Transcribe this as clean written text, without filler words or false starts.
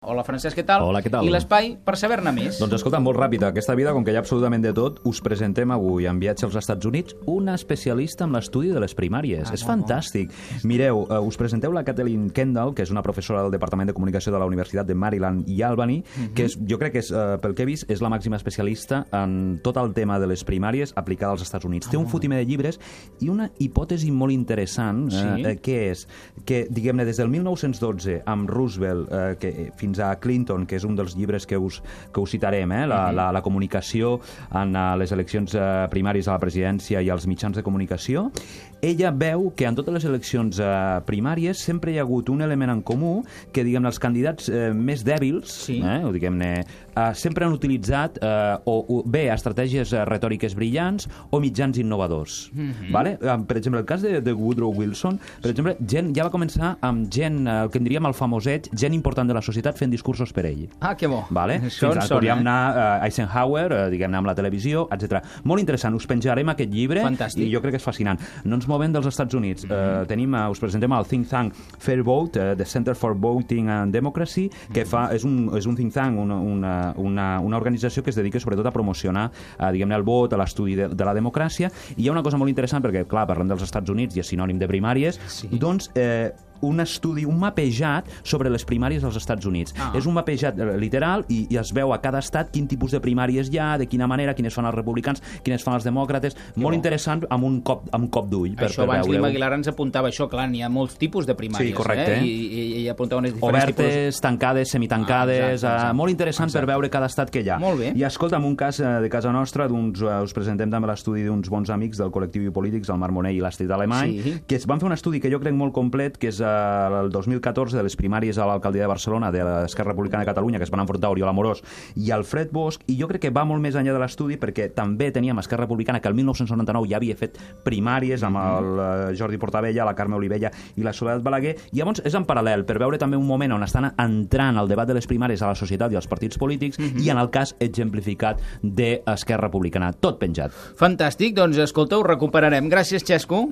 Hola, Francesc, què tal? Hola, què tal? I l'espai per saber-ne més? Doncs escolta, molt ràpid, aquesta vida, com que hi ha absolutament de tot, us presentem avui en viatge als Estats Units una especialista en l'estudi de les primàries. És fantàstic. Mireu, us presenteu la Kathleen Kendall, que és una professora del Departament de Comunicació de la Universitat de Maryland i Albany, que és, jo crec que és, pel que he vist, és la màxima especialista en tot el tema de les primàries aplicada als Estats Units. Té un fotimer de llibres i una hipòtesi molt interessant, que és que, diguem-ne, des del 1912, amb Roosevelt, fins a Clinton, que és un dels llibres que us citarem, la comunicació en les eleccions primàries a la presidència i als mitjans de comunicació, ella veu que en totes les eleccions primàries sempre hi ha hagut un element en comú que, diguem-ne, els candidats més dèbils, o diguem-ne, sempre han utilitzat o bé estratègies retòriques brillants o mitjans innovadors. Per exemple, el cas de Woodrow Wilson, per exemple, ja va començar amb gent, el que en diríem el famoset, gent important de la societat fent discursos per ell. Ah, que bo. Podríem anar a Eisenhower, diguem-ne, amb la televisió, etc. Molt interessant, us penjarem aquest llibre. Fantàstic. I jo crec que és fascinant. No ens movem dels Estats Units. Us presentem el think tank Fair Vote, the Center for Voting and Democracy, que és un think tank, una organització que es dedica sobretot a promocionar, diguem-ne, el vot, a l'estudi de la democràcia. I hi ha una cosa molt interessant, perquè, clar, parlem dels Estats Units i és sinònim de primàries, doncs un estudi, un mapejat sobre les primàries als Estats Units. És un mapejat literal i es veu a cada estat quin tipus de primàries hi ha, de quina manera, quines fan els republicans, quines fan els demòcrates. Molt interessant, amb un cop d'ull. Això abans l'Ima Aguilar ens apuntava això, clar, n'hi ha molts tipus de primàries. Sí, correcte. I apuntava unes diferents tipus. Obertes, tancades, semitancades, molt interessant per veure cada estat que hi ha. Molt bé. I escolta'm, un cas de casa nostra, us presentem també l'estudi d'uns bons amics del col·lectiu Polítics, el Marc Monell i l'Astrid Alemany, que van fer un estudi que jo crec molt complet, que és el 2014 de les primàries a l'alcaldia de Barcelona de l'Esquerra Republicana de Catalunya, que es van enfrontar Oriol Amorós i Alfred Bosch, i jo crec que va molt més enllà de l'estudi perquè també teníem Esquerra Republicana, que el 1999 ja havia fet primàries amb el Jordi Portabella, la Carme Olivella i la Soledat Balaguer, i llavors és en paral·lel per veure també un moment on estan entrant el debat de les primàries a la societat i als partits polítics i en el cas exemplificat d'Esquerra Republicana. Tot penjat. Fantàstic, doncs escolta, ho recuperarem. Gràcies, Xesco.